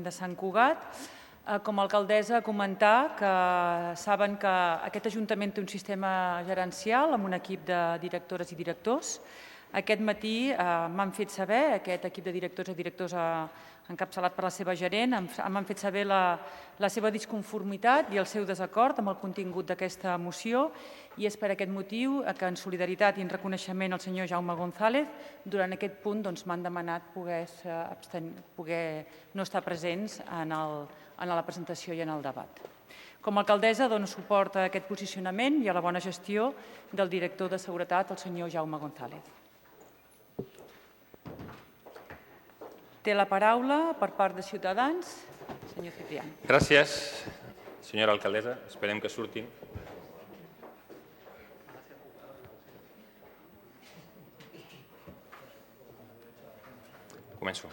de Sant Cugat. Com a alcaldessa, comentar que saben que aquest Ajuntament té un sistema gerencial amb un equip de directores i directors. Aquest matí m'han fet saber, aquest equip de directors i directors encapçalat per la seva gerent, m'han fet saber la seva disconformitat i el seu desacord amb el contingut d'aquesta moció i és per aquest motiu que en solidaritat i en reconeixement al senyor Jaume González, durant aquest punt m'han demanat poder no estar presents en la presentació i en el debat. Com a alcaldessa dono suport a aquest posicionament i a la bona gestió del director de Seguretat, el senyor Jaume González. Té la paraula per part de Ciutadans, senyor Ciprián. Gràcies, senyora alcaldessa. Esperem que surtin. Començo.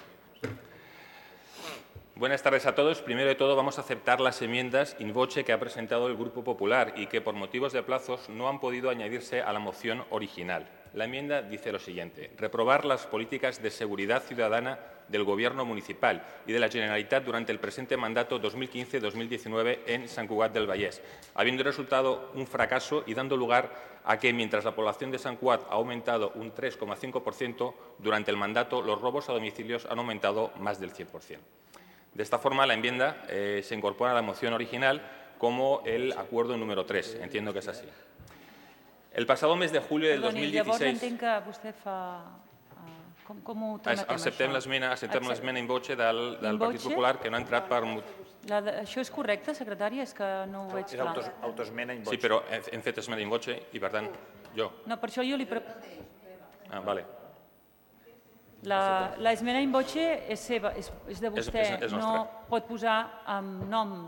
Buenas tardes a todos. Primero de todo, vamos a aceptar las enmiendas in voce que ha presentado el Grupo Popular y que, por motivos de plazos, no han podido añadirse a la moción original. La enmienda dice lo siguiente: reprobar las políticas de seguridad ciudadana del Gobierno municipal y de la Generalitat durante el presente mandato 2015-2019 en Sant Cugat del Vallès, habiendo resultado un fracaso y dando lugar a que, mientras la población de Sant Cugat ha aumentado un 3,5%, durante el mandato los robos a domicilios han aumentado más del 100%. De esta forma, la enmienda se incorpora a la moción original como el acuerdo número 3. Entiendo que es así. El pasado mes de julio del 2016... Llavors entenc que vostè fa... Com ho tramitem, acceptem l'esmena in voce del Partit Popular, que no ha entrat per... Això és correcte, secretària? És que no ho veig clar. És autoesmena in voce. Sí, però hem fet esmena in voce i, per tant, jo. No, per això jo li... Ah, vale. L'esmena in voce és seva, és de vostè. És nostra. No pot posar en nom...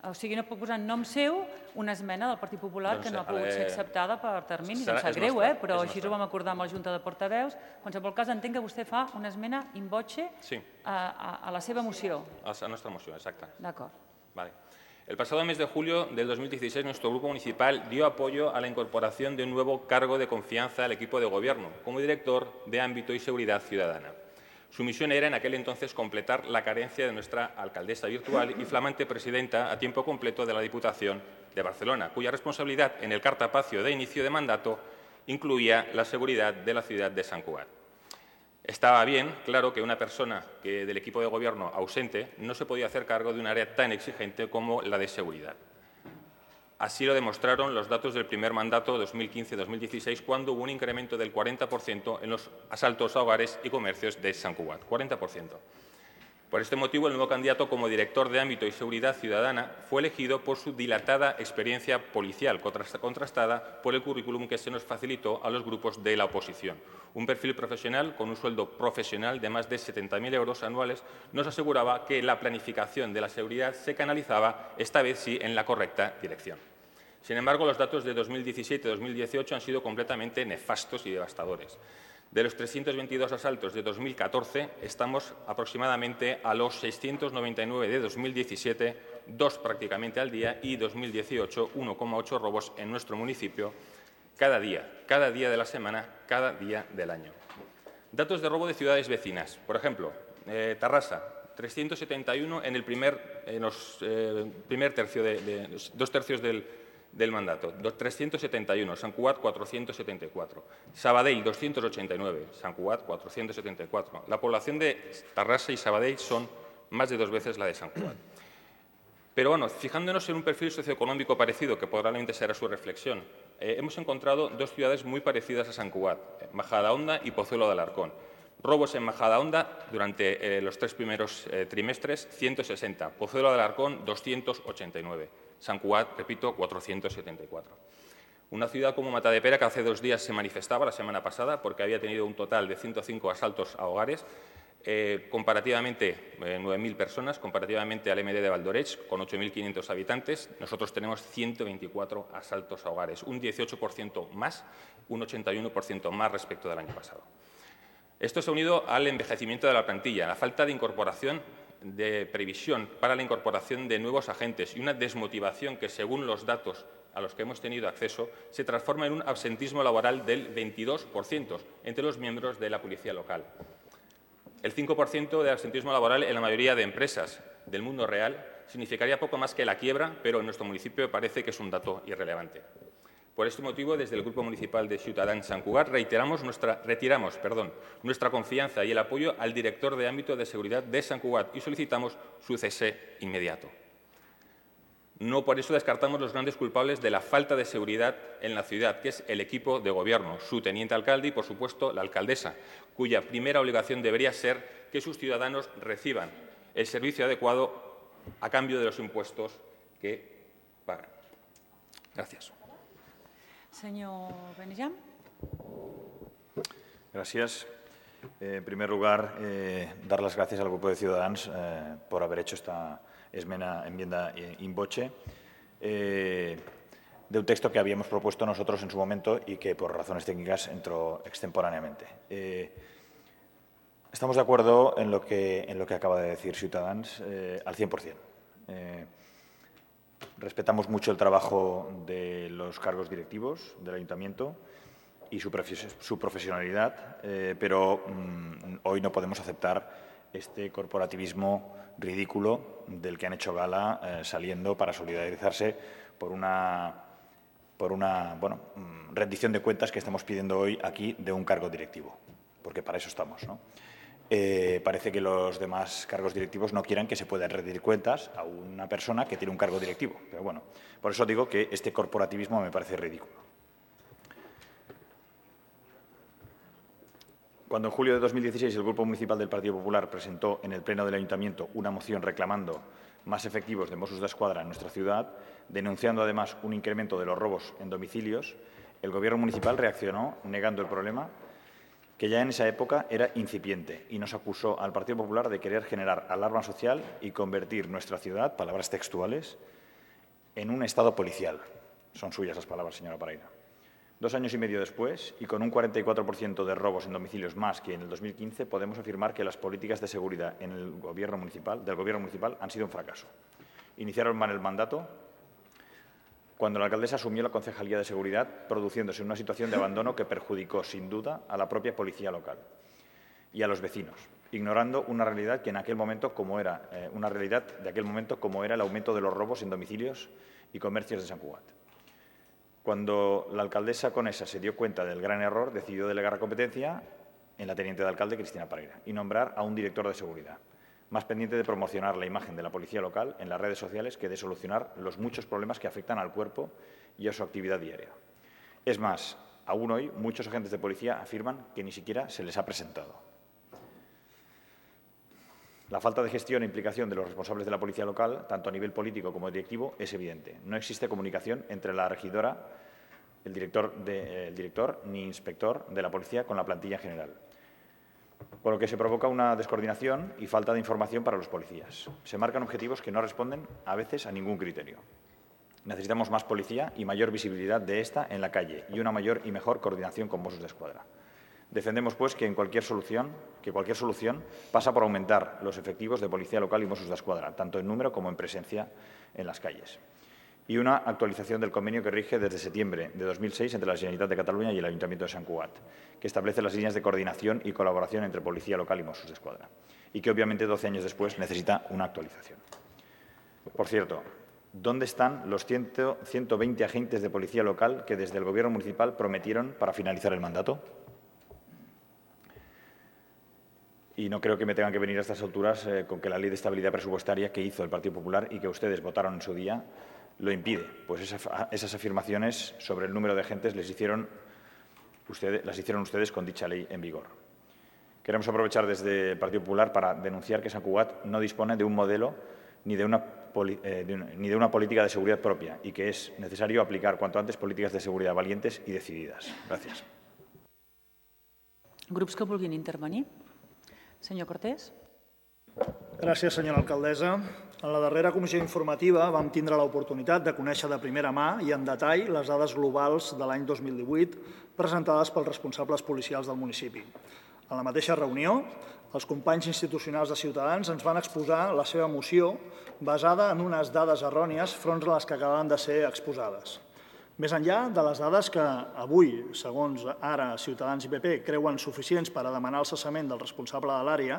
O sigui, no pot posar en nom seu una esmena del Partit Popular que no ha pogut ser acceptada per termini. Em sap greu, però així ho vam acordar amb la Junta de Portaveus. En qualsevol cas, entenc que vostè fa una esmena in voce a la seva moció. A la nostra moció, exacte. D'acord. Vale. El pasado mes de julio del 2016, nuestro grupo municipal dio apoyo a la incorporación de un nuevo cargo de confianza al equipo de gobierno, como director de Ámbito y Seguridad Ciudadana. Su misión era en aquel entonces completar la carencia de nuestra alcaldesa virtual y flamante presidenta a tiempo completo de la Diputación de Barcelona, cuya responsabilidad en el cartapacio de inicio de mandato incluía la seguridad de la ciudad de Sant Cugat. Estaba bien, claro, que una persona del equipo de gobierno ausente no se podía hacer cargo de un área tan exigente como la de seguridad. Así lo demostraron los datos del primer mandato 2015-2016, cuando hubo un incremento del 40% en los asaltos a hogares y comercios de Sant Cugat. 40%. Por este motivo, el nuevo candidato como director de Ámbito y Seguridad Ciudadana fue elegido por su dilatada experiencia policial, contrastada por el currículum que se nos facilitó a los grupos de la oposición. Un perfil profesional con un sueldo profesional de más de 70.000 euros anuales nos aseguraba que la planificación de la seguridad se canalizaba, esta vez sí, en la correcta dirección. Sin embargo, los datos de 2017 y 2018 han sido completamente nefastos y devastadores. De los 322 asaltos de 2014, estamos aproximadamente a los 699 de 2017, 2 prácticamente al día, y 2018, 1,8 robos en nuestro municipio cada día de la semana, cada día del año. Datos de robo de ciudades vecinas. Por ejemplo, Tarrasa, 371 en el primer tercio, dos tercios del mandato, 371, Sant Cugat 474, Sabadell 289, Sant Cugat 474. La población de Tarrasa y Sabadell son más de 2 veces la de Sant Cugat. Pero bueno, fijándonos en un perfil socioeconómico parecido, que probablemente será su reflexión, hemos encontrado 2 ciudades muy parecidas a Sant Cugat, Majadahonda y Pozuelo de Alarcón. Robos en Majadahonda durante los 3 primeros trimestres, 160. Pozuelo de Alarcón, 289. Sant Cugat, repito, 474. Una ciudad como Matadepera, que hace 2 días se manifestaba, la semana pasada, porque había tenido un total de 105 asaltos a hogares, comparativamente 9.000 personas, comparativamente al MD de Valdoreig, con 8.500 habitantes, nosotros tenemos 124 asaltos a hogares, un 18% más, un 81% más respecto del año pasado. Esto se ha unido al envejecimiento de la plantilla, la falta de incorporación de previsión para la incorporación de nuevos agentes y una desmotivación que, según los datos a los que hemos tenido acceso, se transforma en un absentismo laboral del 22% entre los miembros de la policía local. El 5% de absentismo laboral en la mayoría de empresas. del mundo real, significaría poco más que la quiebra, pero en nuestro municipio parece que es un dato irrelevante. Por este motivo, desde el Grupo Municipal de Ciutadans Sant Cugat retiramos nuestra confianza y el apoyo al director de ámbito de seguridad de Sant Cugat y solicitamos su cese inmediato. No por eso descartamos los grandes culpables de la falta de seguridad en la ciudad, que es el equipo de gobierno, su teniente alcalde y, por supuesto, la alcaldesa, cuya primera obligación debería ser que sus ciudadanos reciban el servicio adecuado a cambio de los impuestos que pagan. Gracias. Señor Benejam. Gracias. En primer lugar, dar las gracias al Grupo de Ciudadanos por haber hecho esta enmienda in voce de un texto que habíamos propuesto nosotros en su momento y que por razones técnicas entró extemporáneamente. Estamos de acuerdo en lo que acaba de decir Ciutadans al 100%. Respetamos mucho el trabajo de los cargos directivos del Ayuntamiento y su profesionalidad, pero hoy no podemos aceptar este corporativismo ridículo del que han hecho gala saliendo para solidarizarse por una rendición de cuentas que estamos pidiendo hoy aquí de un cargo directivo, porque para eso estamos, ¿no? Parece que los demás cargos directivos no quieran que se puedan rendir cuentas a una persona que tiene un cargo directivo. Pero bueno, por eso digo que este corporativismo me parece ridículo. Cuando en julio de 2016 el Grupo Municipal del Partido Popular presentó en el Pleno del Ayuntamiento una moción reclamando más efectivos de Mossos d'Esquadra en nuestra ciudad, denunciando además un incremento de los robos en domicilios, el Gobierno municipal reaccionó negando el problema, que ya en esa época era incipiente, y nos acusó al Partido Popular de querer generar alarma social y convertir nuestra ciudad, palabras textuales, en un estado policial. Son suyas las palabras, señora Paraina. 2 años y medio después, y con un 44% de robos en domicilios más que en el 2015, podemos afirmar que las políticas de seguridad del Gobierno municipal han sido un fracaso. Iniciaron mal el mandato cuando la alcaldesa asumió la concejalía de seguridad, produciéndose una situación de abandono que perjudicó, sin duda, a la propia policía local y a los vecinos, ignorando una realidad que en aquel momento como era el aumento de los robos en domicilios y comercios de Sant Cugat. Cuando la alcaldesa conesa se dio cuenta del gran error, decidió delegar la competencia en la teniente de alcalde, Cristina Paraina, y nombrar a un director de seguridad, más pendiente de promocionar la imagen de la policía local en las redes sociales que de solucionar los muchos problemas que afectan al cuerpo y a su actividad diaria. Es más, aún hoy muchos agentes de policía afirman que ni siquiera se les ha presentado. La falta de gestión e implicación de los responsables de la policía local, tanto a nivel político como directivo, es evidente. No existe comunicación entre la regidora, el director ni inspector de la policía con la plantilla en general, por lo que se provoca una descoordinación y falta de información para los policías. Se marcan objetivos que no responden a veces a ningún criterio. Necesitamos más policía y mayor visibilidad de esta en la calle y una mayor y mejor coordinación con Mossos d'Esquadra. Defendemos, pues, que cualquier solución pasa por aumentar los efectivos de Policía Local y Mossos d'Esquadra, tanto en número como en presencia en las calles. Y una actualización del convenio que rige desde septiembre de 2006 entre la Generalitat de Cataluña y el Ayuntamiento de Sant Cugat, que establece las líneas de coordinación y colaboración entre Policía Local y Mossos d'Esquadra, y que obviamente 12 años después necesita una actualización. Por cierto, ¿dónde están los 120 agentes de Policía Local que desde el Gobierno municipal prometieron para finalizar el mandato? Y no creo que me tengan que venir a estas alturas con que la Ley de Estabilidad Presupuestaria que hizo el Partido Popular y que ustedes votaron en su día lo impide. Pues esas afirmaciones sobre el número de agentes las hicieron ustedes con dicha ley en vigor. Queremos aprovechar desde el Partido Popular para denunciar que Sant Cugat no dispone de un modelo ni de una política de seguridad propia y que es necesario aplicar cuanto antes políticas de seguridad valientes y decididas. Gràcies. Grups que vulguin intervenir. Senyor Cortés. Gràcies, senyora alcaldessa. En la darrera comissió informativa vam tindre l'oportunitat de conèixer de primera mà i en detall les dades globals de l'any 2018 presentades pels responsables policials del municipi. En la mateixa reunió, els companys institucionals de Ciutadans ens van exposar la seva moció basada en unes dades errònies front a les que acaben de ser exposades. Més enllà de les dades que avui, segons ara Ciutadans i PP, creuen suficients per a demanar el cessament del responsable de l'àrea,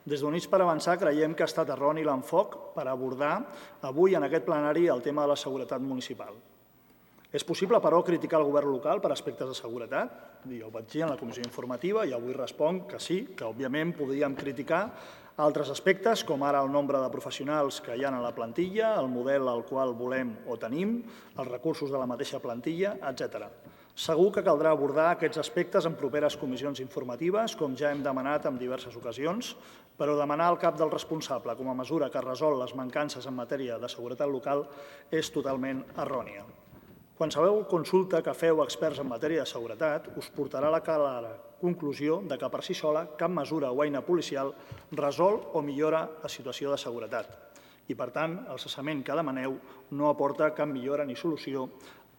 Des d'Units per Avançar creiem que ha estat erroni l'enfoc per abordar avui en aquest plenari el tema de la seguretat municipal. És possible, però, criticar el govern local per aspectes de seguretat? Jo ho vaig dir en la comissió informativa i avui responc que sí, que òbviament podríem criticar altres aspectes, com ara el nombre de professionals que hi ha a la plantilla, el model al qual volem o tenim, els recursos de la mateixa plantilla, etc. Segur que caldrà abordar aquests aspectes en properes comissions informatives, com ja hem demanat en diverses ocasions, però demanar al cap del responsable com a mesura que resol les mancances en matèria de seguretat local és totalment errònia. Qualsevol consulta que feu experts en matèria de seguretat us portarà a la clara conclusió de que per si sola cap mesura o eina policial resol o millora la situació de seguretat. I, per tant, el cessament que demaneu no aporta cap millora ni solució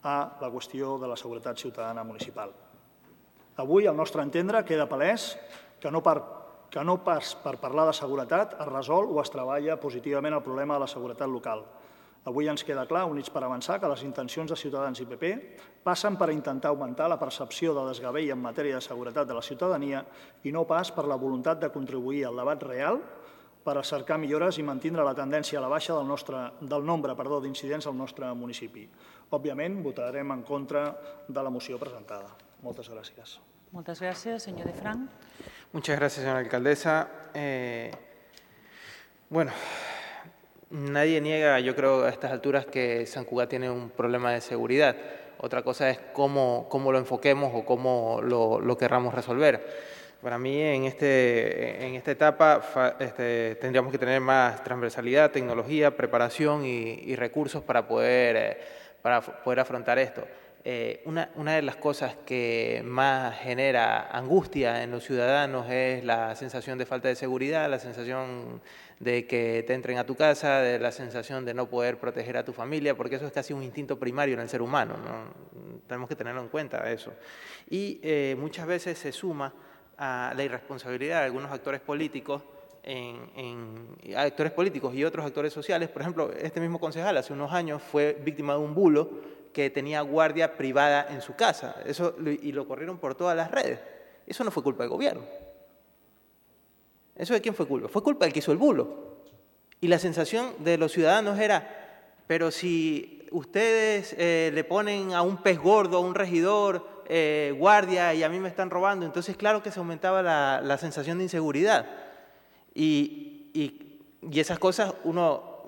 a la qüestió de la seguretat ciutadana municipal. Avui, al nostre entendre, queda palès que no pas per parlar de seguretat es resol o es treballa positivament el problema de la seguretat local. Avui ens queda clar, Units per Avançar, que les intencions de Ciutadans i PP passen per intentar augmentar la percepció de desgavell en matèria de seguretat de la ciutadania i no pas per la voluntat de contribuir al debat real per a cercar millores i mantindre la tendència a la baixa del nombre d'incidents al nostre municipi. Òbviament, votarem en contra de la moció presentada. Moltes gràcies. Moltes gràcies. Senyor de Frank. Muchas gracias, señora alcaldesa. Bueno, nadie niega, yo creo, a estas alturas que Sant Cugat tiene un problema de seguridad. Otra cosa es cómo lo enfoquemos o cómo lo querramos resolver. Para mí, en esta etapa tendríamos que tener más transversalidad, tecnología, preparación y recursos para poder afrontar esto. Una de las cosas que más genera angustia en los ciudadanos es la sensación de falta de seguridad, la sensación de que te entren a tu casa, de la sensación de no poder proteger a tu familia, porque eso es casi un instinto primario en el ser humano, ¿no? Tenemos que tenerlo en cuenta eso. Y muchas veces se suma a la irresponsabilidad de algunos actores políticos actores políticos y otros actores sociales. Por ejemplo, este mismo concejal hace unos años fue víctima de un bulo que tenía guardia privada en su casa, y lo corrieron por todas las redes. Eso no fue culpa del gobierno. ¿Eso de quién fue culpa? Fue culpa del que hizo el bulo. Y la sensación de los ciudadanos era, pero si ustedes le ponen a un pez gordo, a un regidor, guardia, y a mí me están robando, entonces claro que se aumentaba la sensación de inseguridad. Y esas cosas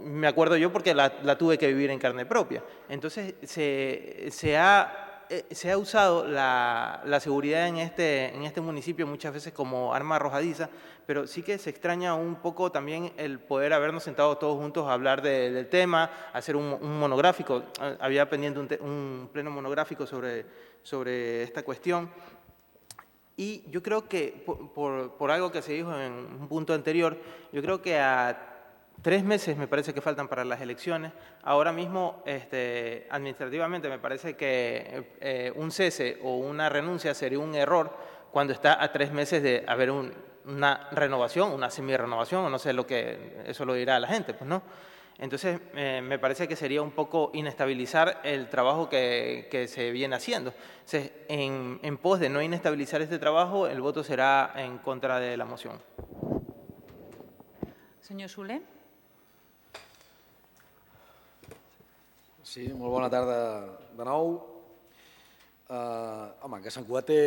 me acuerdo yo porque la tuve que vivir en carne propia. Entonces se ha usado la seguridad en este municipio muchas veces como arma arrojadiza, pero sí que se extraña un poco también el poder habernos sentado todos juntos a hablar del tema, hacer un monográfico. Había pendiente un pleno monográfico sobre esta cuestión. Y yo creo que, por algo que se dijo en un punto anterior, yo creo que a 3 meses me parece que faltan para las elecciones. Ahora mismo, administrativamente, me parece que un cese o una renuncia sería un error cuando está a 3 meses de haber una renovación, una semi-renovación, o no sé eso lo dirá la gente, pues no. Entonces, me parece que sería un poco inestabilizar el trabajo que se viene haciendo. Entonces, en pos de no inestabilizar este trabajo, el voto será en contra de la moción. Senyor Soler. Sí, molt bona tarda de nou. Home, que Sant Cugat té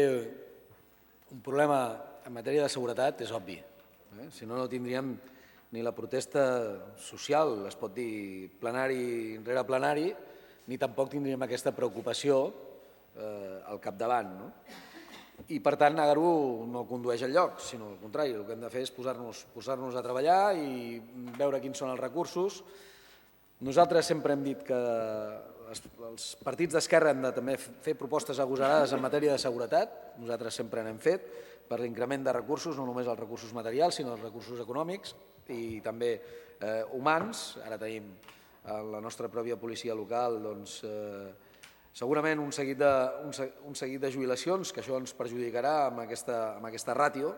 un problema en matèria de seguretat és obvi. Si no, no tindríem ni la protesta social, es pot dir plenari rere plenari, ni tampoc tindríem aquesta preocupació al capdavant. I, per tant, negar-ho no condueix enlloc, sinó al contrari. El que hem de fer és posar-nos a treballar i veure quins són els recursos. Nosaltres sempre hem dit que els partits d'esquerra hem de també fer propostes agosarades en matèria de seguretat. Nosaltres sempre n'hem fet per l'increment de recursos, no només els recursos materials, sinó els recursos econòmics i també humans. Ara tenim la nostra pròpia policia local, doncs, segurament un seguit de jubilacions, que això ens perjudicarà amb aquesta ràtio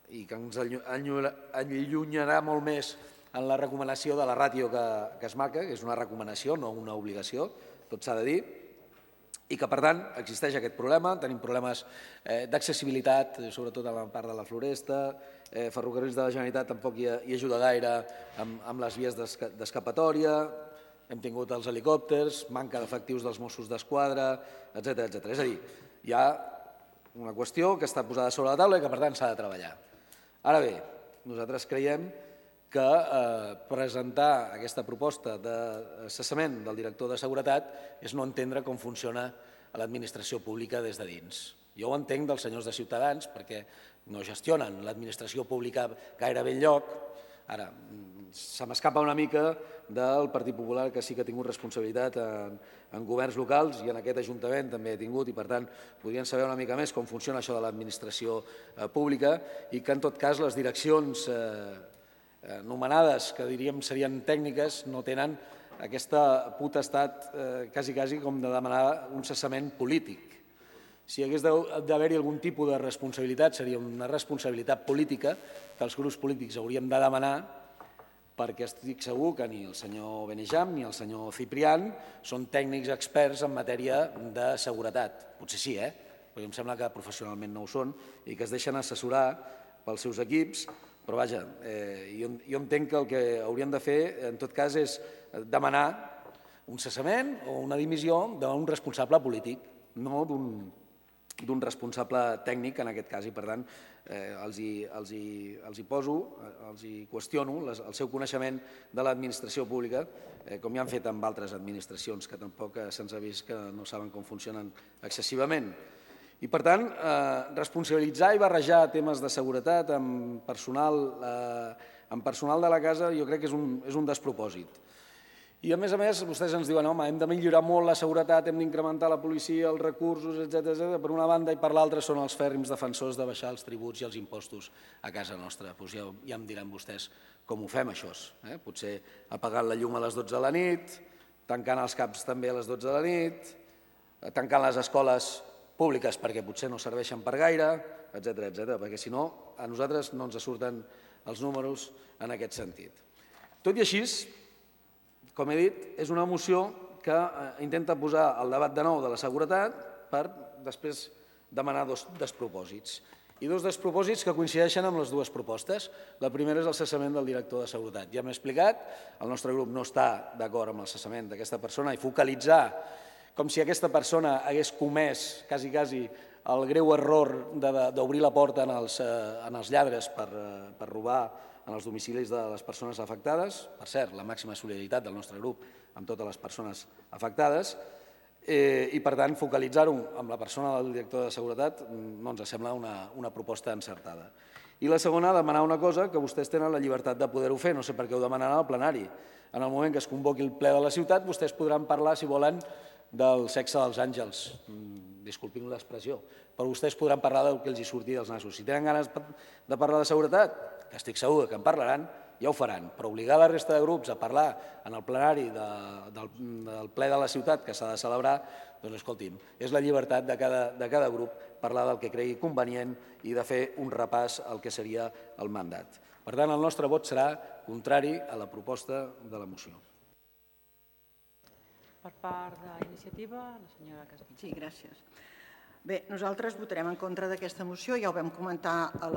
i que ens allunyarà molt més en la recomanació de la ràtio que es marca, que és una recomanació, no una obligació, tot s'ha de dir. i que, per tant, existeix aquest problema. Tenim problemes d'accessibilitat, sobretot a la part de la Floresta. Ferrocarrils de la Generalitat tampoc hi ajuda gaire amb les vies d'escapatòria. Hem tingut els helicòpters, manca d'efectius dels Mossos d'Esquadra, etc. És a dir, hi ha una qüestió que està posada sobre la taula i que, per tant, s'ha de treballar. Ara bé, nosaltres creiem que presentar aquesta proposta de cessament del director de Seguretat és no entendre com funciona l'administració pública des de dins. Jo ho entenc dels senyors de Ciutadans perquè no gestionen l'administració pública gairebé enlloc. Ara, se m'escapa una mica del Partit Popular, que sí que ha tingut responsabilitat en governs locals i en aquest Ajuntament també ha tingut, i per tant podrien saber una mica més com funciona això de l'administració pública, i que en tot cas les direccions nomenades, que diríem serien tècniques, no tenen aquesta potestat quasi com de demanar un cessament polític. Si hagués d'haver-hi algun tipus de responsabilitat, seria una responsabilitat política que els grups polítics hauríem de demanar, perquè estic segur que ni el senyor Benejam ni el senyor Ciprián són tècnics experts en matèria de seguretat. Potser sí, perquè em sembla que professionalment no ho són i que es deixen assessorar pels seus equips, però vaja, jo entenc que el que hauríem de fer, en tot cas, és demanar un cessament o una dimissió d'un responsable polític, no d'un responsable tècnic, en aquest cas, i per tant els hi poso, els hi qüestiono el seu coneixement de l'administració pública, com ja han fet amb altres administracions, que tampoc se'ns ha vist que no saben com funcionen excessivament. I, per tant, responsabilitzar i barrejar temes de seguretat amb personal de la casa jo crec que és un despropòsit. I, a més, vostès ens diuen home, hem de millorar molt la seguretat, hem d'incrementar la policia, els recursos, etc. Per una banda, i per l'altra són els fèrrims defensors de baixar els tributs i els impostos a casa nostra. Doncs ja em diran vostès com ho fem, això. Potser apagant la llum a les 12 de la nit, tancant els CAPs també a les 12 de la nit, tancant les escoles públiques perquè potser no serveixen per gaire, etc. Perquè si no, a nosaltres no ens surten els números en aquest sentit. Tot i així, com he dit, és una moció que intenta posar el debat de nou de la seguretat per després demanar dos despropòsits. I dos despropòsits que coincideixen amb les dues propostes. La primera és el cessament del director de Seguretat. Ja m'he explicat, el nostre grup no està d'acord amb el cessament d'aquesta persona i focalitzar com si aquesta persona hagués comès quasi el greu error d'obrir la porta als lladres per robar en els domicilis de les persones afectades. Per cert, la màxima solidaritat del nostre grup amb totes les persones afectades. I, per tant, focalitzar-ho amb la persona del director de Seguretat no ens sembla una proposta encertada. I la segona, demanar una cosa que vostès tenen la llibertat de poder-ho fer. No sé per què ho demanaran al plenari. En el moment que es convoqui el ple de la ciutat, vostès podran parlar, si volen, del sexe dels àngels. Disculpin l'expressió. Però vostès podran parlar del que els hi surti dels nassos. Si tenen ganes de parlar de seguretat, que estic segur que en parlaran, ja ho faran. Però obligar la resta de grups a parlar en el plenari del ple de la ciutat que s'ha de celebrar, doncs escolti'm, és la llibertat de cada grup parlar del que cregui convenient i de fer un repàs al que seria el mandat. Per tant, el nostre vot serà contrari a la proposta de la moció. Per part d'Iniciativa, la senyora Casamitjana. Sí, gràcies. Bé, nosaltres votarem en contra d'aquesta moció, ja ho vam comentar a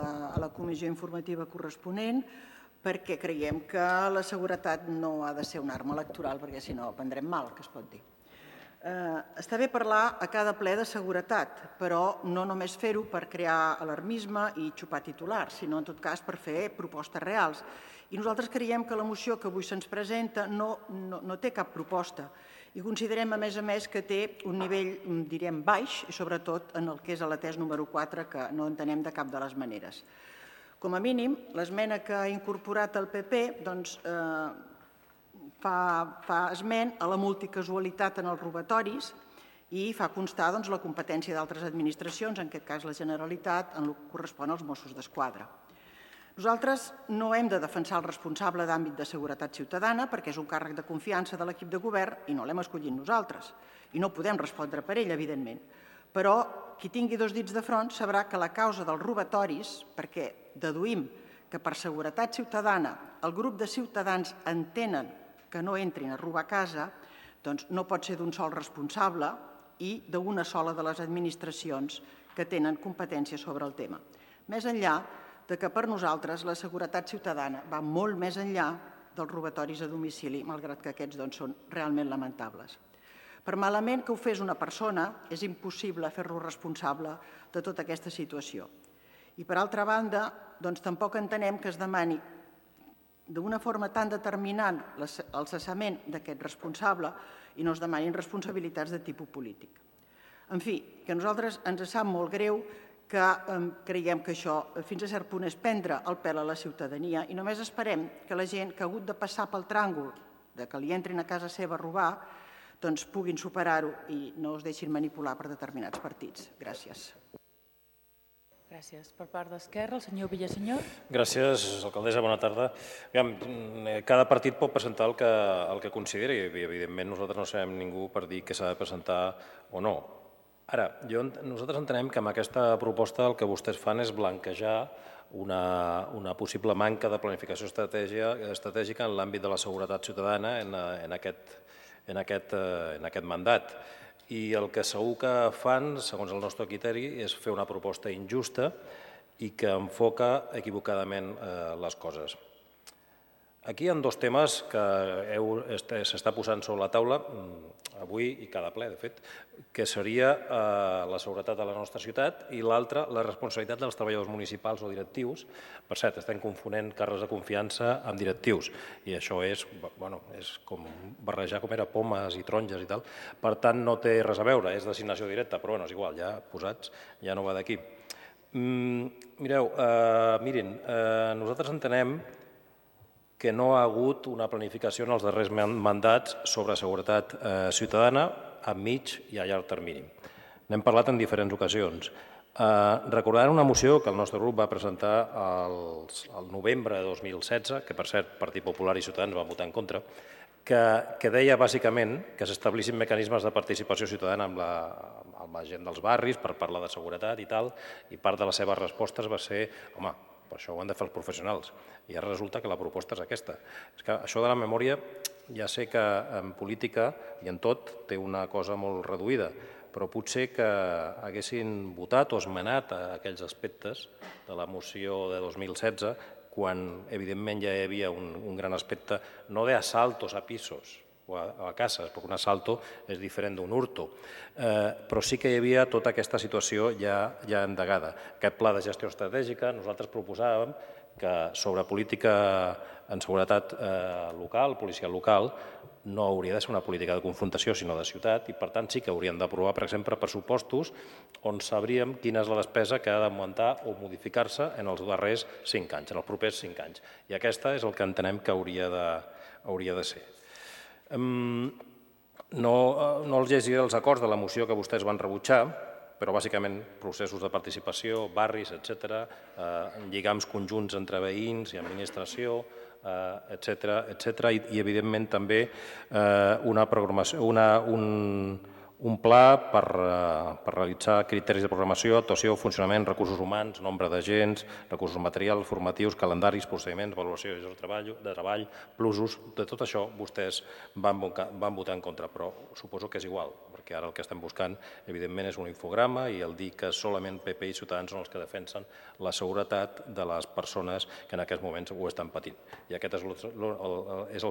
la comissió informativa corresponent, perquè creiem que la seguretat no ha de ser una arma electoral, perquè si no prendrem mal, que es pot dir. Està bé parlar a cada ple de seguretat, però no només fer-ho per crear alarmisme i xupar titulars, sinó en tot cas per fer propostes reals. I nosaltres creiem que la moció que avui se'ns presenta no té cap proposta i considerem, a més, que té un nivell, direm, baix, i sobretot en el que és l'atès número 4, que no entenem de cap de les maneres. Com a mínim, l'esmena que ha incorporat el PP fa esment a la multicasualitat en els robatoris i fa constar la competència d'altres administracions, en aquest cas la Generalitat, en el que correspon als Mossos d'Esquadra. Nosaltres no hem de defensar el responsable d'àmbit de seguretat ciutadana perquè és un càrrec de confiança de l'equip de govern i no l'hem escollit nosaltres. I no podem respondre per ell, evidentment. Però qui tingui dos dits de front sabrà que la causa dels robatoris, perquè deduïm que per seguretat ciutadana el grup de ciutadans entenen que no entrin a robar a casa, doncs no pot ser d'un sol responsable, i d'una sola de les administracions que tenen competència sobre el tema. Més enllà de que per nosaltres la seguretat ciutadana va molt més enllà dels robatoris a domicili, malgrat que aquests són realment lamentables. Per malament que ho fes una persona, és impossible fer-lo responsable de tota aquesta situació. I per altra banda, tampoc entenem que es demani d'una forma tan determinant el cessament d'aquest responsable i no es demanin responsabilitats de tipus polític. En fi, que a nosaltres ens sap molt greu, que creiem que això fins a cert punt és prendre el pèl a la ciutadania i només esperem que la gent que ha hagut de passar pel tràngol de que li entrin a casa seva a robar puguin superar-ho i no es deixin manipular per determinats partits. Gràcies. Gràcies. Per part d'Esquerra, el senyor Villasenyor. Gràcies, alcaldessa. Bona tarda. Cada partit pot presentar el que consideri i, evidentment, nosaltres no serem ningú per dir què s'ha de presentar o no. Ara, nosaltres entenem que amb aquesta proposta el que vostès fan és blanquejar una possible manca de planificació estratègica en l'àmbit de la seguretat ciutadana en aquest mandat. I el que segur que fan, segons el nostre criteri, és fer una proposta injusta i que enfoca equivocadament les coses. Aquí hi ha dos temes que s'està posant sobre la taula avui i cada ple, de fet, que seria la seguretat de la nostra ciutat i l'altre, la responsabilitat dels treballadors municipals o directius. Per cert, estem confonent càrrecs de confiança amb directius i això és com barrejar com era pomes i taronges i tal. Per tant, no té res a veure, és designació directa, però és igual, ja posats, ja no va d'aquí. Mirin, nosaltres entenem que no ha hagut una planificació en els darrers mandats sobre seguretat ciutadana a mig i a llarg termini. N'hem parlat en diferents ocasions. Recordaran una moció que el nostre grup va presentar al novembre de 2016, que per cert Partit Popular i Ciutadans van votar en contra, que deia bàsicament que s'establissin mecanismes de participació ciutadana amb la gent dels barris per parlar de seguretat i tal, i part de les seves respostes va ser, home, per això ho han de fer els professionals. I ara resulta que la proposta és aquesta. És que això de la memòria ja sé que en política i en tot té una cosa molt reduïda, però potser que haguessin votat o esmenat aquells aspectes de la moció de 2016 quan evidentment ja hi havia un gran aspecte, no d'asaltos a pisos o a cases, perquè un assalto és diferent d'un hurto, però sí que hi havia tota aquesta situació ja endegada. Aquest pla de gestió estratègica, nosaltres proposàvem que sobre política en seguretat local, policial local, no hauria de ser una política de confrontació, sinó de ciutat, i per tant sí que hauríem d'aprovar, per exemple, pressupostos on sabríem quina és la despesa que ha d'augmentar o modificar-se en els darrers 5 anys, en els propers 5 anys. I aquesta és el que entenem que hauria de ser. No els llegiré els acords de la moció que vostès van rebutjar, però bàsicament processos de participació, barris, etc., lligams conjunts entre veïns i administració, etc. I evidentment també un pla per realitzar criteris de programació, actuació, funcionament, recursos humans, nombre d'agents, recursos materials, formatius, calendaris, procediments, valoració de treball, plusos. De tot això vostès van votar en contra, però suposo que és igual, perquè ara el que estem buscant evidentment és un infograma i el dir que solament PP i Ciutadans són els que defensen la seguretat de les persones que en aquests moments ho estan patint. I aquest és el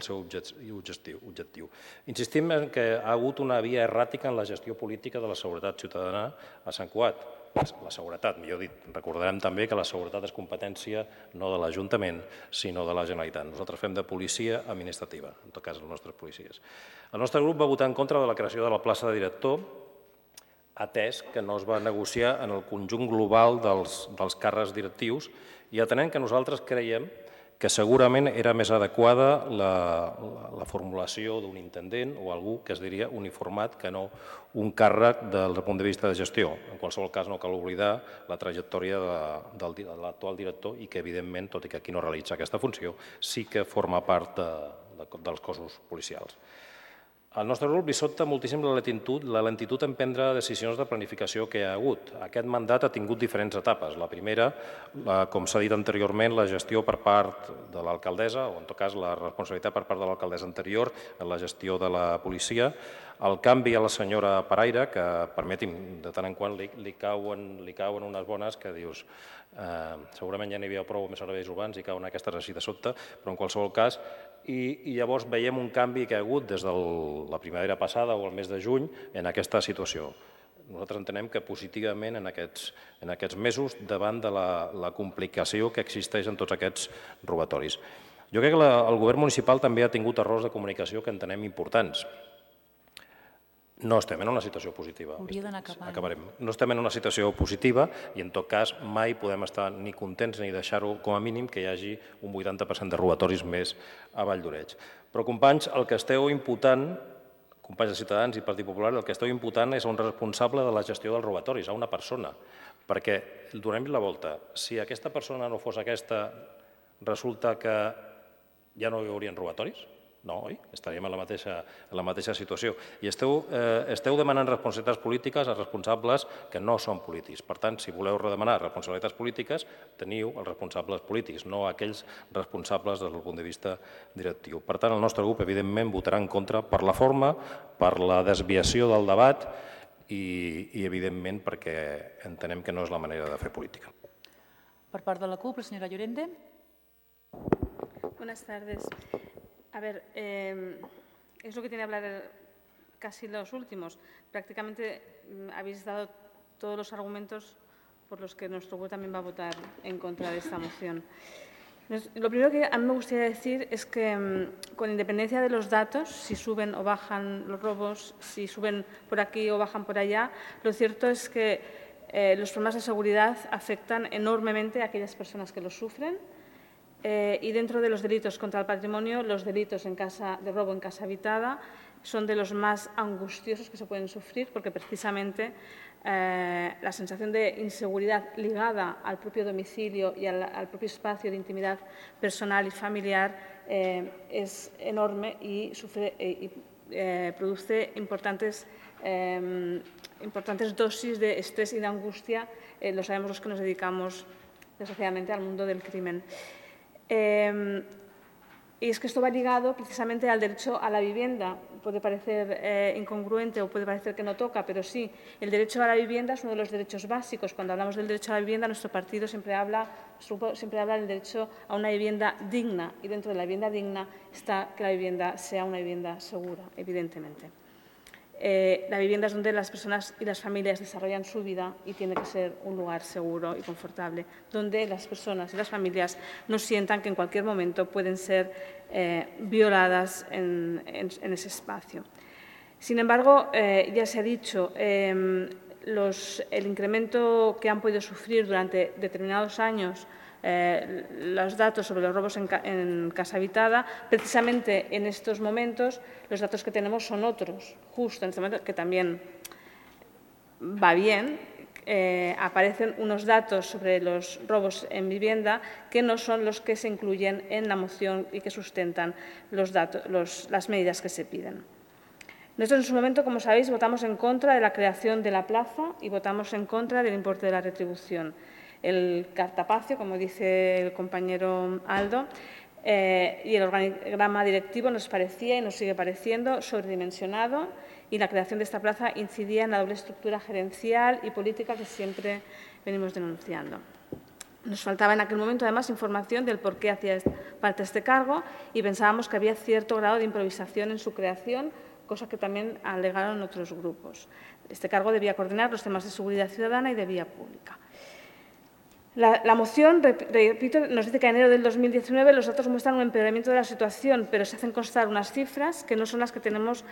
seu objectiu. Insistim en que ha hagut una via erràtica en la gestió política de la seguretat ciutadana a Sant Cugat. La seguretat, millor dit. Recordarem també que la seguretat és competència no de l'Ajuntament, sinó de la Generalitat. Nosaltres fem de policia administrativa, en tot cas els nostres policies. El nostre grup va votar en contra de la creació de la plaça de director, atès que no es va negociar en el conjunt global dels càrrecs directius i atenent que nosaltres creiem que segurament era més adequada la formulació d'un intendent o algú que es diria uniformat que no un càrrec des del punt de vista de gestió. En qualsevol cas no cal oblidar la trajectòria de l'actual director i que evidentment, tot i que aquí no realitza aquesta funció, sí que forma part dels cossos policials. Al nostre grup li sobta moltíssim la lentitud en prendre decisions de planificació que hi ha hagut. Aquest mandat ha tingut diferents etapes. La primera, com s'ha dit anteriorment, la gestió per part de l'alcaldessa, o en tot cas la responsabilitat per part de l'alcaldessa anterior en la gestió de la policia, el canvi a la senyora Paraire, que, permeti'm, de tant en quant li cauen unes bones que dius segurament ja n'hi havia prou més serveis urbans i cauen aquestes així de sobte, però en qualsevol cas, i llavors veiem un canvi que hi ha hagut des de la primavera passada o el mes de juny en aquesta situació. Nosaltres entenem que positivament en aquests mesos davant de la complicació que existeix en tots aquests robatoris. Jo crec que el govern municipal també ha tingut errors de comunicació que entenem importants. No estem en una situació positiva. Hauria d'anar acabant. Acabarem. No estem en una situació positiva i, en tot cas, mai podem estar ni contents ni deixar-ho com a mínim que hi hagi un 80% de robatoris més a Vall d'Oreig. Però, companys, el que esteu imputant, companys de Ciutadans i Partit Popular, el que esteu imputant és a un responsable de la gestió dels robatoris, a una persona. Perquè, donem-li la volta, si aquesta persona no fos aquesta, resulta que ja no hi haurien robatoris? No, oi? Estaríem en la mateixa situació. I esteu demanant responsabilitats polítiques a responsables que no són polítics. Per tant, si voleu redemanar responsabilitats polítiques, teniu els responsables polítics, no aquells responsables des del punt de vista directiu. Per tant, el nostre grup, evidentment, votarà en contra per la forma, per la desviació del debat i evidentment, perquè entenem que no és la manera de fer política. Per part de la CUP, la senyora Llorente. Buenas tardes. A ver, es lo que tiene que hablar casi los últimos. Prácticamente habéis dado todos los argumentos por los que nuestro grupo también va a votar en contra de esta moción. Lo primero que a mí me gustaría decir es que, con independencia de los datos, si suben o bajan los robos, si suben por aquí o bajan por allá, lo cierto es que los problemas de seguridad afectan enormemente a aquellas personas que los sufren. Y dentro de los delitos contra el patrimonio, los delitos de robo en casa habitada son de los más angustiosos que se pueden sufrir, porque precisamente la sensación de inseguridad ligada al propio domicilio y al propio espacio de intimidad personal y familiar es enorme y produce importantes dosis de estrés y de angustia, lo sabemos los que nos dedicamos desgraciadamente al mundo del crimen. Y es que esto va ligado precisamente al derecho a la vivienda. Puede parecer incongruente o puede parecer que no toca, pero sí, el derecho a la vivienda es uno de los derechos básicos. Cuando hablamos del derecho a la vivienda, nuestro partido nuestro grupo siempre habla del derecho a una vivienda digna, y dentro de la vivienda digna está que la vivienda sea una vivienda segura, evidentemente. La vivienda es donde las personas y las familias desarrollan su vida y tiene que ser un lugar seguro y confortable, donde las personas y las familias no sientan que en cualquier momento pueden ser violadas en ese espacio. Sin embargo, ya se ha dicho, el incremento que han podido sufrir durante determinados años los datos sobre los robos en casa habitada, precisamente en estos momentos los datos que tenemos son otros, justo en este momento, que también va bien, aparecen unos datos sobre los robos en vivienda que no son los que se incluyen en la moción y que sustentan las medidas que se piden. Nosotros en su momento, como sabéis, votamos en contra de la creación de la plaza y votamos en contra del importe de la retribución. El cartapacio, como dice el compañero Aldo, y el organigrama directivo nos parecía y nos sigue pareciendo sobredimensionado, y la creación de esta plaza incidía en la doble estructura gerencial y política que siempre venimos denunciando. Nos faltaba en aquel momento, además, información del por qué hacía parte este cargo, y pensábamos que había cierto grado de improvisación en su creación, cosa que también alegaron otros grupos. Este cargo debía coordinar los temas de seguridad ciudadana y de vía pública. La moción, repito, nos dice que en enero del 2019 los datos muestran un empeoramiento de la situación, pero se hacen constar unas cifras que no son las que hemos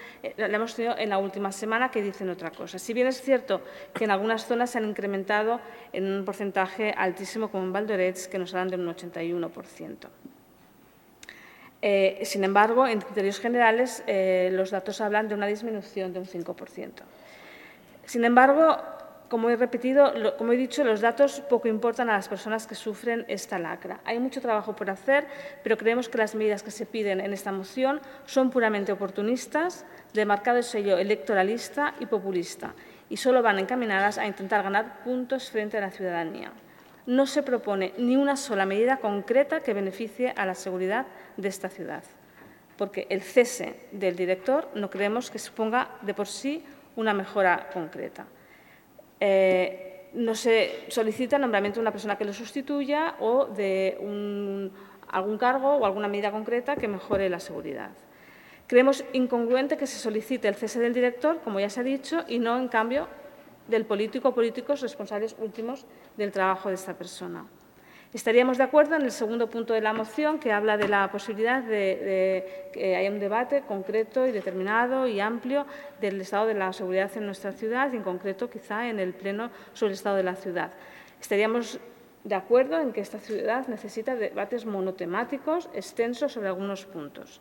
tenido en la última semana, que dicen otra cosa. Si bien es cierto que en algunas zonas se han incrementado en un porcentaje altísimo, como en Vall d'Oreig, que nos hablan de un 81%. Sin embargo, en criterios generales, los datos hablan de una disminución de un 5%. Sin embargo, como he dicho, los datos poco importan a las personas que sufren esta lacra. Hay mucho trabajo por hacer, pero creemos que las medidas que se piden en esta moción son puramente oportunistas, de marcado sello electoralista y populista, y solo van encaminadas a intentar ganar puntos frente a la ciudadanía. No se propone ni una sola medida concreta que beneficie a la seguridad de esta ciudad, porque el cese del director no creemos que suponga de por sí una mejora concreta. No se solicita el nombramiento de una persona que lo sustituya o de algún cargo o alguna medida concreta que mejore la seguridad. Creemos incongruente que se solicite el cese del director, como ya se ha dicho, y no, en cambio, del político o políticos responsables últimos del trabajo de esta persona. Estaríamos de acuerdo en el segundo punto de la moción, que habla de la posibilidad de que haya un debate concreto y determinado y amplio del estado de la seguridad en nuestra ciudad y, en concreto, quizá en el Pleno sobre el estado de la ciudad. Estaríamos de acuerdo en que esta ciudad necesita debates monotemáticos extensos sobre algunos puntos.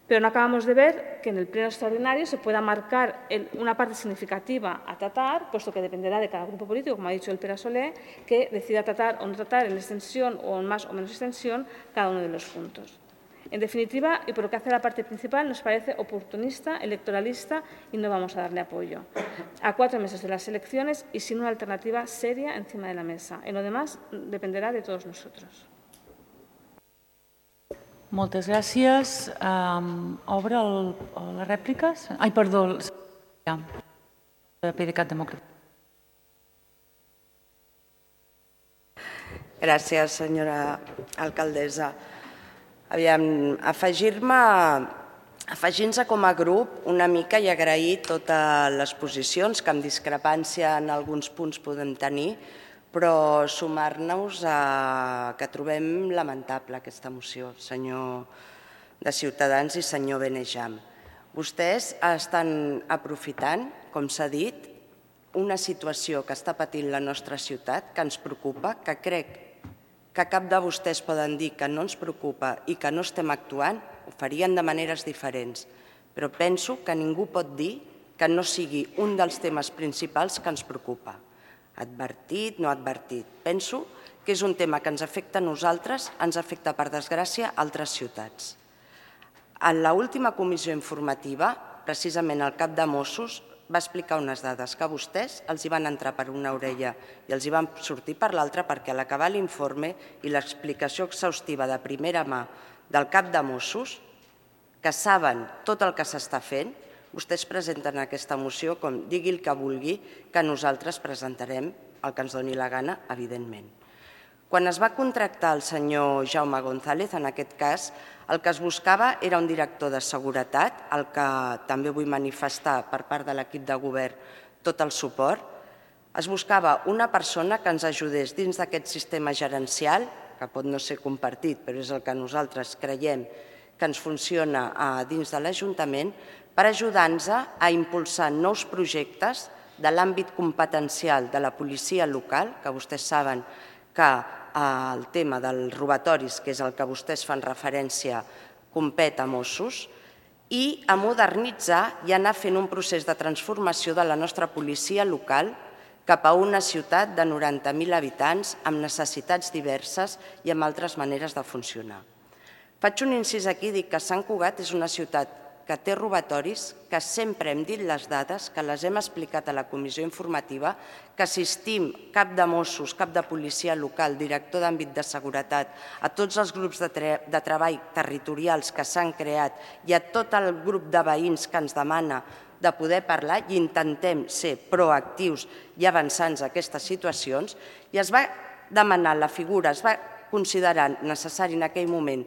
Pero no acabamos de ver que en el pleno extraordinario se pueda marcar una parte significativa a tratar, puesto que dependerá de cada grupo político, como ha dicho el Pere Soler, que decida tratar o no tratar en extensión o en más o menos extensión cada uno de los puntos. En definitiva, y por lo que hace a la parte principal, nos parece oportunista, electoralista y no vamos a darle apoyo. A 4 meses de las elecciones y sin una alternativa seria encima de la mesa. En lo demás, dependerá de todos nosotros. Moltes gràcies. Obre les rèpliques? Ai, perdó. PDeCAT Democràtic. Gràcies, senyora alcaldessa. Aviam, afegir-nos com a grup una mica i agrair totes les posicions que amb discrepància en alguns punts podem tenir, però sumar-nos a que trobem lamentable aquesta moció, senyor de Ciutadans i senyor Benejam. Vostès estan aprofitant, com s'ha dit, una situació que està patint la nostra ciutat, que ens preocupa, que crec que cap de vostès poden dir que no ens preocupa i que no estem actuant, ho farien de maneres diferents. Però penso que ningú pot dir que no sigui un dels temes principals que ens preocupa. Advertit, no advertit. Penso que és un tema que ens afecta a nosaltres, ens afecta, per desgràcia, a altres ciutats. En l'última comissió informativa, precisament el cap de Mossos va explicar unes dades que a vostès els hi van entrar per una orella i els hi van sortir per l'altra, perquè a l'acabar l'informe i l'explicació exhaustiva de primera mà del cap de Mossos, que saben tot el que s'està fent, vostès presenten aquesta moció com digui el que vulgui, que nosaltres presentarem el que ens doni la gana, evidentment. Quan es va contractar el senyor Jaume González, en aquest cas, el que es buscava era un director de seguretat, al que també vull manifestar per part de l'equip de govern tot el suport. Es buscava una persona que ens ajudés dins d'aquest sistema gerencial, que pot no ser compartit, però és el que nosaltres creiem que ens funciona dins de l'Ajuntament, per ajudar-nos a impulsar nous projectes de l'àmbit competencial de la policia local, que vostès saben que el tema dels robatoris, que és el que vostès fan referència, compet a Mossos, i a modernitzar i anar fent un procés de transformació de la nostra policia local cap a una ciutat de 90.000 habitants amb necessitats diverses i amb altres maneres de funcionar. Faig un incís aquí, dic que Sant Cugat és una ciutat que té robatoris, que sempre hem dit les dades, que les hem explicat a la comissió informativa, que assistim cap de Mossos, cap de policia local, director d'àmbit de seguretat, a tots els grups de treball territorials que s'han creat i a tot el grup de veïns que ens demana de poder parlar i intentem ser proactius i avançants a aquestes situacions, i es va demanar la figura, es va considerar necessari en aquell moment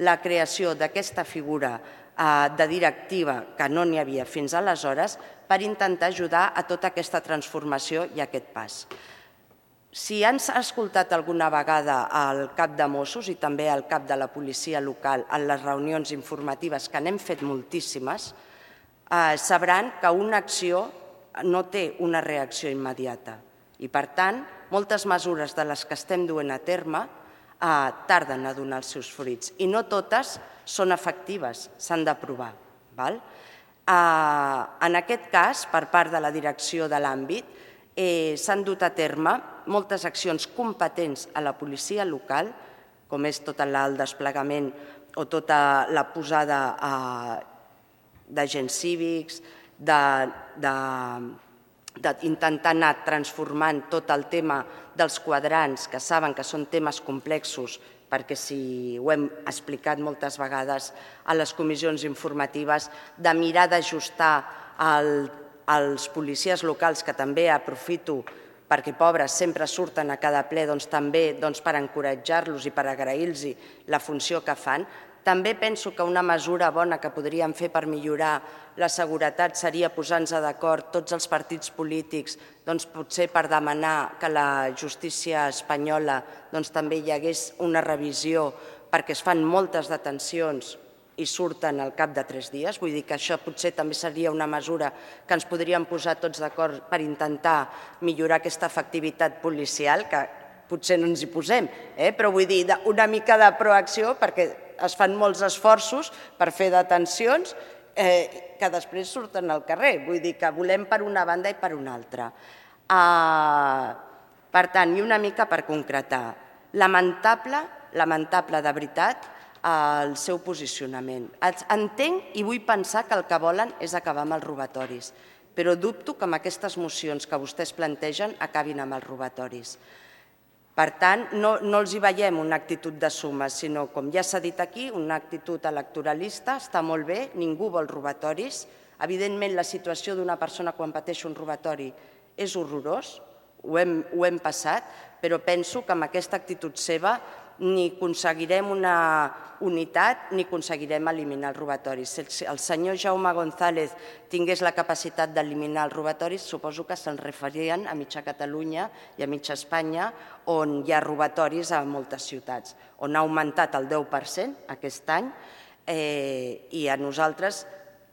la creació d'aquesta figura de directiva, que no n'hi havia fins aleshores, per intentar ajudar a tota aquesta transformació i aquest pas. Si han escoltat alguna vegada el cap de Mossos i també el cap de la policia local en les reunions informatives, que n'hem fet moltíssimes, sabran que una acció no té una reacció immediata i, per tant, moltes mesures de les que estem duent a terme tarden a donar els seus fruits i no totes són efectives, s'han d'aprovar. En aquest cas, per part de la direcció de l'àmbit, s'han dut a terme moltes accions competents a la policia local, com és tot el desplegament o tota la posada d'agents cívics, d'intentar anar transformant tot el tema dels quadrants, que saben que són temes complexos, perquè si ho hem explicat moltes vegades a les comissions informatives, de mirar d'ajustar als policies locals, que també aprofito perquè pobres sempre surten a cada ple, també per encoratjar-los i per agrair-los la funció que fan. També penso que una mesura bona que podríem fer per millorar la seguretat seria posar-nos d'acord tots els partits polítics, potser per demanar que a la justícia espanyola també hi hagués una revisió, perquè es fan moltes detencions i surten al cap de 3 dies. Vull dir que això potser també seria una mesura que ens podríem posar tots d'acord per intentar millorar aquesta efectivitat policial, que potser no ens hi posem, però vull dir una mica de proacció, perquè es fan molts esforços per fer detencions que després surten al carrer. Vull dir que volem per una banda i per una altra. Per tant, i una mica per concretar, lamentable de veritat el seu posicionament. Entenc i vull pensar que el que volen és acabar amb els robatoris, però dubto que amb aquestes mocions que vostès plantegen acabin amb els robatoris. Per tant, no els hi veiem una actitud de suma, sinó, com ja s'ha dit aquí, una actitud electoralista. Està molt bé, ningú vol robatoris. Evidentment, la situació d'una persona quan pateix un robatori és horrorós, ho hem passat, però penso que amb aquesta actitud seva ni aconseguirem una unitat ni aconseguirem eliminar els robatoris. Si el senyor Jaume González tingués la capacitat d'eliminar els robatoris, suposo que se'n referien a mitja Catalunya i a mitja Espanya, on hi ha robatoris a moltes ciutats, on ha augmentat el 10% aquest any, i a nosaltres,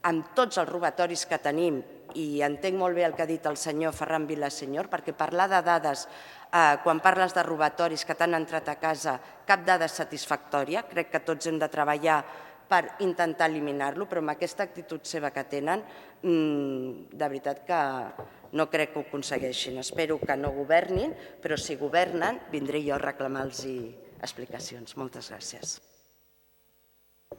amb tots els robatoris que tenim, i entenc molt bé el que ha dit el senyor Ferran Vilaseñor, perquè parlar de dades, quan parles de robatoris que t'han entrat a casa, cap dada és satisfactòria. Crec que tots hem de treballar per intentar eliminar-lo, però amb aquesta actitud seva que tenen, de veritat que no crec que ho aconsegueixin. Espero que no governin, però si governen, vindré jo a reclamar-los explicacions. Moltes gràcies.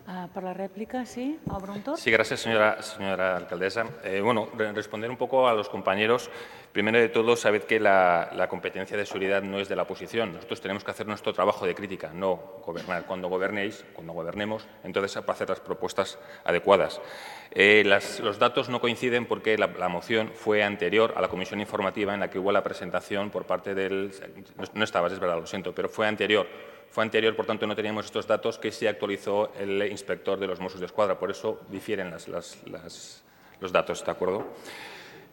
Per la rèplica, sí, obro un torn. Sí, gracias, señora alcaldesa. Bueno, responder un poco a los compañeros. Primero de todo, sabed que la competencia de seguridad no es de la oposición. Nosotros tenemos que hacer nuestro trabajo de crítica, no gobernar. Cuando gobernemos, entonces para hacer las propuestas adecuadas. Los datos no coinciden porque la moción fue anterior a la comisión informativa en la que hubo la presentación por parte del... No estabas, es verdad, lo siento, pero fue anterior. Fue anterior, por tanto, no teníamos estos datos que se actualizó el inspector de los Mossos d'Esquadra. Por eso difieren los datos, ¿de acuerdo?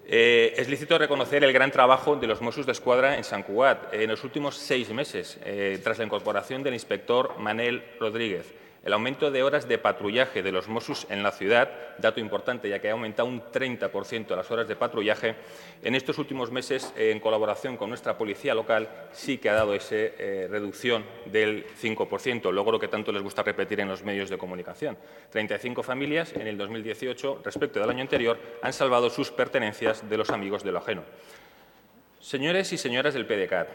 Es lícito reconocer el gran trabajo de los Mossos d'Esquadra en Sant Cugat. En los últimos 6 meses, tras la incorporación del inspector Manel Rodríguez, el aumento de horas de patrullaje de los Mossos en la ciudad, dato importante ya que ha aumentado un 30% las horas de patrullaje, en estos últimos meses, en colaboración con nuestra policía local, sí que ha dado esa reducción del 5%, logro que tanto les gusta repetir en los medios de comunicación. 35 familias en el 2018, respecto del año anterior, han salvado sus pertenencias de los amigos de lo ajeno. Señores y señoras del PDeCAT,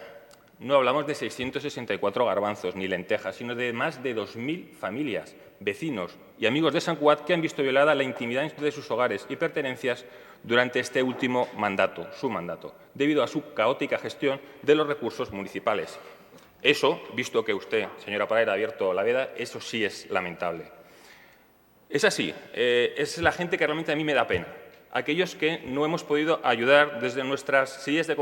no hablamos de 664 garbanzos ni lentejas, sino de más de 2.000 familias, vecinos y amigos de Sant Cugat que han visto violada la intimidad de sus hogares y pertenencias durante este último mandato, su mandato, debido a su caótica gestión de los recursos municipales. Eso, visto que usted, señora Parera, ha abierto la veda, eso sí es lamentable. Es así, es la gente que realmente a mí me da pena. Aquellos que no hemos podido ayudar desde nuestras sillas de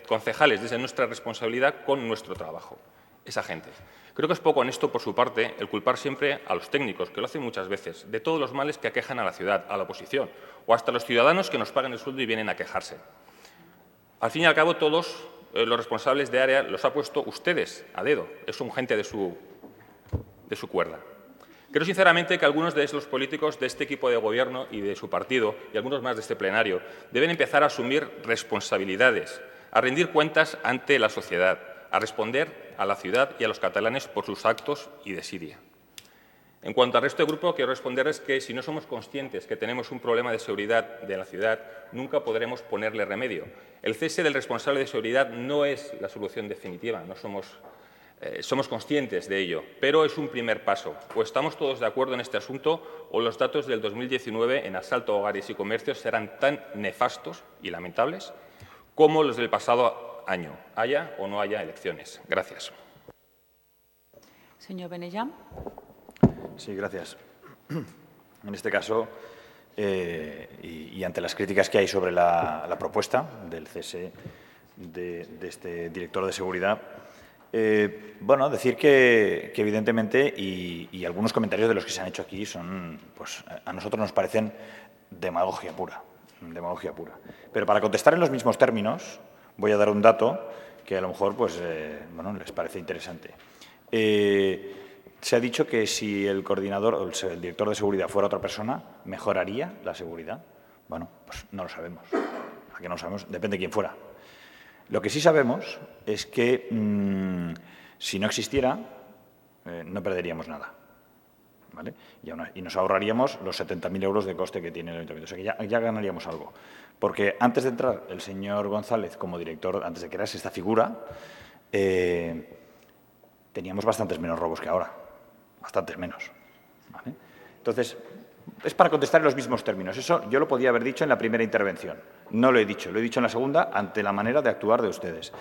concejales, desde nuestra responsabilidad con nuestro trabajo. Esa gente. Creo que es poco honesto por su parte el culpar siempre a los técnicos, que lo hacen muchas veces, de todos los males que aquejan a la ciudad, a la oposición, o hasta a los ciudadanos que nos pagan el sueldo y vienen a quejarse. Al fin y al cabo, todos los responsables de área los ha puesto ustedes a dedo. Son gente de su cuerda. Creo sinceramente que algunos de los políticos de este equipo de gobierno y de su partido, y algunos más de este plenario, deben empezar a asumir responsabilidades, a rendir cuentas ante la sociedad, a responder a la ciudad y a los catalanes por sus actos y desidia. En cuanto al resto del grupo, quiero responderles que si no somos conscientes que tenemos un problema de seguridad de la ciudad, nunca podremos ponerle remedio. El cese del responsable de seguridad no es la solución definitiva, no somos conscientes de ello, pero es un primer paso. O estamos todos de acuerdo en este asunto o los datos del 2019 en asalto a hogares y comercios serán tan nefastos y lamentables como los del pasado año, haya o no haya elecciones. Gracias. Señor Benellán. Sí, gracias. En este caso, y ante las críticas que hay sobre la propuesta del cese de este director de seguridad, bueno, decir que evidentemente, y algunos comentarios de los que se han hecho aquí son, pues a nosotros nos parecen demagogia pura. Pero para contestar en los mismos términos, voy a dar un dato que a lo mejor pues, bueno, les parece interesante. Se ha dicho que si el coordinador o el director de seguridad fuera otra persona, ¿mejoraría la seguridad? Bueno, pues no lo sabemos. ¿A qué no lo sabemos? Depende de quién fuera. Lo que sí sabemos es que si no existiera, no perderíamos nada. ¿Vale? Y nos ahorraríamos los 70.000 euros de coste que tiene el ayuntamiento. O sea que ya ganaríamos algo. Porque antes de entrar el señor González como director, antes de crearse esta figura, teníamos bastantes menos robos que ahora. Bastantes menos. ¿Vale? Entonces, es para contestar en los mismos términos. Eso yo lo podía haber dicho en la primera intervención. No lo he dicho en la segunda ante la manera de actuar de ustedes,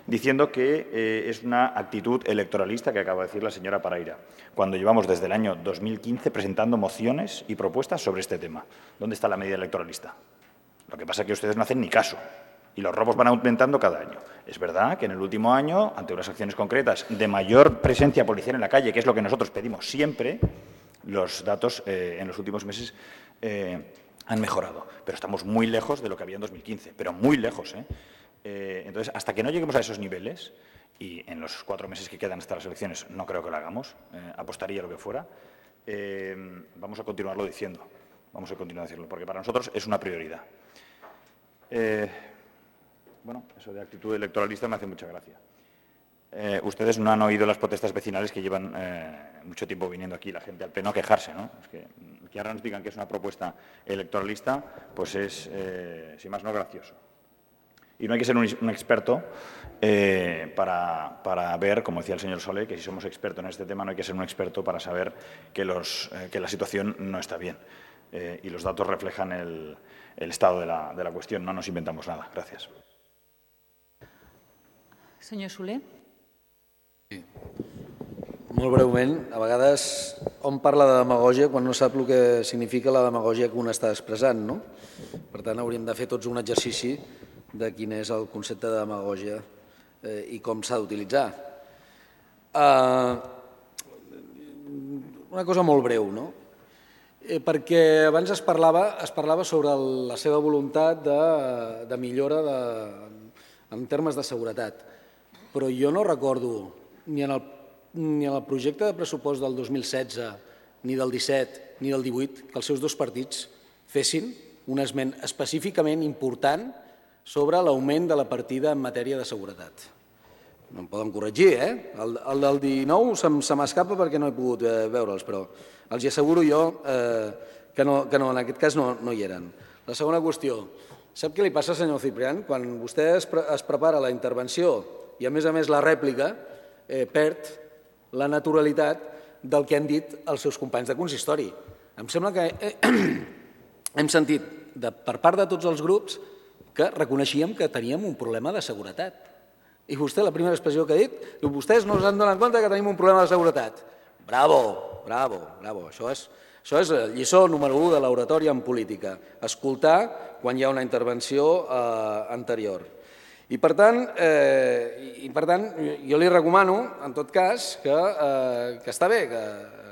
diciendo que es una actitud electoralista que acaba de decir la señora Paraira, cuando llevamos desde el año 2015 presentando mociones y propuestas sobre este tema. ¿Dónde está la medida electoralista? Lo que pasa es que ustedes no hacen ni caso y los robos van aumentando cada año. Es verdad que en el último año, ante unas acciones concretas de mayor presencia policial en la calle, que es lo que nosotros pedimos siempre, los datos en los últimos meses han mejorado, pero estamos muy lejos de lo que había en 2015, pero muy lejos. Entonces, hasta que no lleguemos a esos niveles, y en los 4 meses que quedan hasta las elecciones no creo que lo hagamos, apostaría lo que fuera, vamos a continuarlo diciendo, porque para nosotros es una prioridad. Bueno, eso de actitud electoralista me hace mucha gracia. Ustedes no han oído las protestas vecinales que llevan mucho tiempo viniendo aquí la gente al Pleno a quejarse, ¿no? Es que ahora nos digan que es una propuesta electoralista, pues es, sin más no, gracioso. Y no hay que ser un experto para ver, como decía el señor Soler, que si somos expertos en este tema no hay que ser un experto para saber que la situación no está bien. Y los datos reflejan el estado de la cuestión, no nos inventamos nada. Gracias. Senyor Soler. Sí. Molt breument, a vegades hom parla de demagògia quan no sap el que significa la demagògia que un està expressant, no? Per tant, hauríem de fer tots un exercici de quin és el concepte de demagògia i com s'ha d'utilitzar. Una cosa molt breu, no? Perquè abans es parlava sobre la seva voluntat de millora en termes de seguretat, però jo no recordo ni en el projecte de pressupost del 2016, ni del 17, ni del 18, que els seus dos partits fessin un esment específicament important sobre l'augment de la partida en matèria de seguretat. No em poden corregir, El del 19 se m'escapa perquè no he pogut veure'ls, però els asseguro jo que en aquest cas no hi eren. La segona qüestió. Sap què li passa, senyor Ciprián? Quan vostè es prepara la intervenció i, a més la rèplica, perd la naturalitat del que han dit els seus companys de consistori. Em sembla que hem sentit per part de tots els grups que reconeixíem que teníem un problema de seguretat. I vostè, la primera expressió que ha dit, diu, vostès no s'han donat compte que tenim un problema de seguretat. Bravo, bravo, bravo. Això és lliçó número 1 de l'oratòria en política. Escoltar quan hi ha una intervenció anterior. I per tant, jo li recomano, en tot cas, que està bé que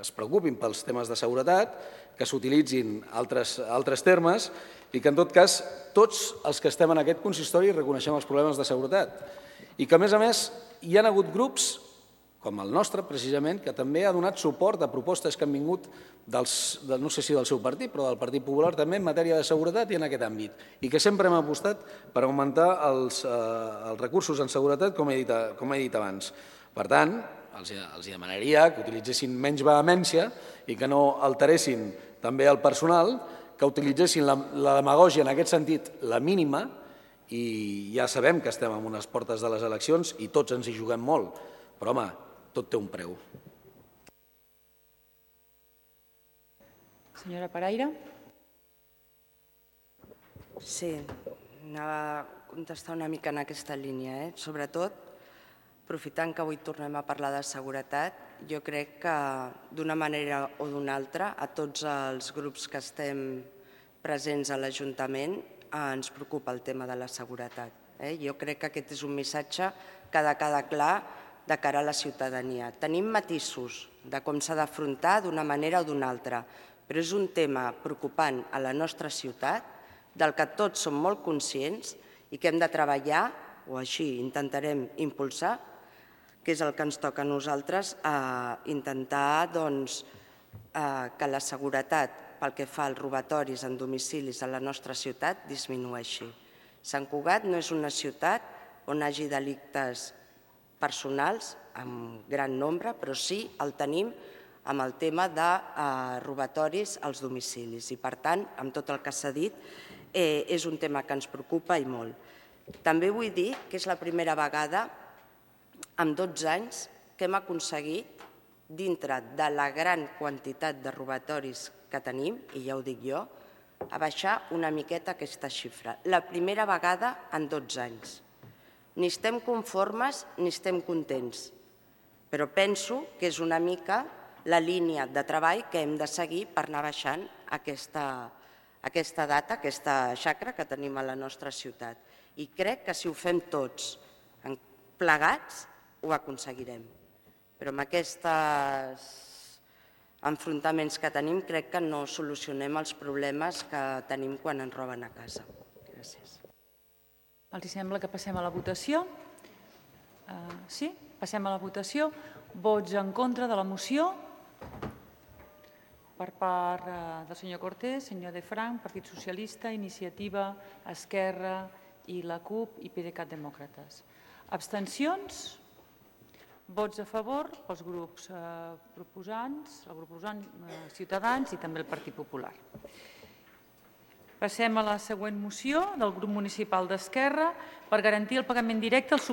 es preocupin pels temes de seguretat, que s'utilitzin altres termes i que, en tot cas, tots els que estem en aquest consistori reconeixem els problemes de seguretat. I que, a més, hi ha hagut grups, com el nostre, precisament, que també ha donat suport a propostes que han vingut, no sé si del seu partit, però del Partit Popular també en matèria de seguretat i en aquest àmbit. I que sempre hem apostat per augmentar els recursos en seguretat, com he dit abans. Per tant, els demanaria que utilitzessin menys vehemència i que no alteressin també el personal, que utilitzessin la demagògia en aquest sentit la mínima, i ja sabem que estem en unes portes de les eleccions i tots ens hi juguem molt, però home, tot té un preu. Senyora Paraire. Sí, anava a contestar una mica en aquesta línia. Sobretot, aprofitant que avui tornem a parlar de seguretat, jo crec que d'una manera o d'una altra a tots els grups que estem presents a l'Ajuntament ens preocupa el tema de la seguretat. Jo crec que aquest és un missatge que ha de quedar clar de cara a la ciutadania. Tenim matisos de com s'ha d'afrontar d'una manera o d'una altra, però és un tema preocupant a la nostra ciutat, del que tots som molt conscients i que hem de treballar, o així intentarem impulsar, que és el que ens toca a nosaltres, intentar que la seguretat pel que fa als robatoris en domicilis a la nostra ciutat disminueixi. Sant Cugat no és una ciutat on hi hagi delictes personals en gran nombre, però sí el tenim amb el tema de robatoris als domicilis. I, per tant, amb tot el que s'ha dit, és un tema que ens preocupa i molt. També vull dir que és la primera vegada en 12 anys que hem aconseguit, dintre de la gran quantitat de robatoris que tenim, i ja ho dic jo, a baixar una miqueta aquesta xifra. La primera vegada en 12 anys. Ni estem conformes ni estem contents, però penso que és una mica la línia de treball que hem de seguir per anar baixant aquesta data, aquesta xacra que tenim a la nostra ciutat. I crec que si ho fem tots plegats ho aconseguirem. Però amb aquests enfrontaments que tenim crec que no solucionem els problemes que tenim quan ens roben a casa. Gràcies. Els sembla que passem a la votació? Sí? Passem a la votació. Vots en contra de la moció? Per part del senyor Cortés, senyor De Franc, Partit Socialista, Iniciativa, Esquerra i la CUP i PDeCAT Demòcrates. Abstencions? Vots a favor pels grups proposants, el grup proposant Ciutadans i també el Partit Popular. Passem a la següent moció del grup municipal d'Esquerra per garantir el pagament directe als